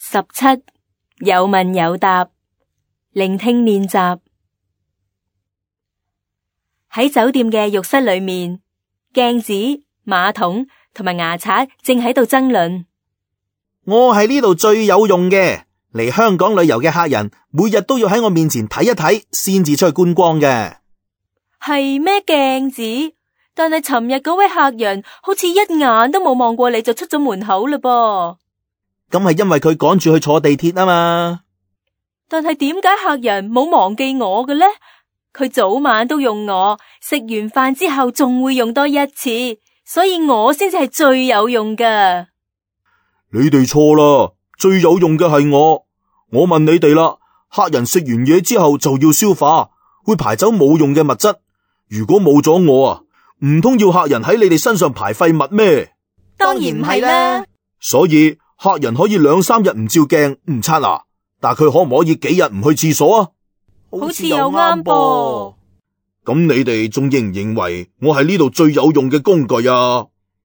17有問有答，聆聽練習。喺酒店嘅浴室裏面，鏡子、馬桶同埋牙刷正喺度爭論。我係呢度最有用嘅，嚟香港旅遊嘅客人每日都要喺我面前睇一睇先至出去觀光嘅。係咩鏡子？但係尋日嗰位客人好似一眼都冇望過你就出咗門口嘞噃。咁係因為佢趕住去坐地鐵啊嘛。但係點解客人冇忘記我嘅呢？佢早晚都用我，食完飯之後仲會用多一次，所以我先至係最有用㗎。你哋錯啦，最有用嘅係我。我問你哋啦，客人食完嘢之後就要消化，會排走冇用嘅物質。如果冇咗我啊，唔通要客人喺你哋身上排廢物咩？當然唔係啦。所以客人可以2-3日唔照鏡唔刷牙，但佢可唔可以幾日唔去廁所啊？好似又啱噃。咁你哋仲認唔認為我係呢度最有用嘅工具啊？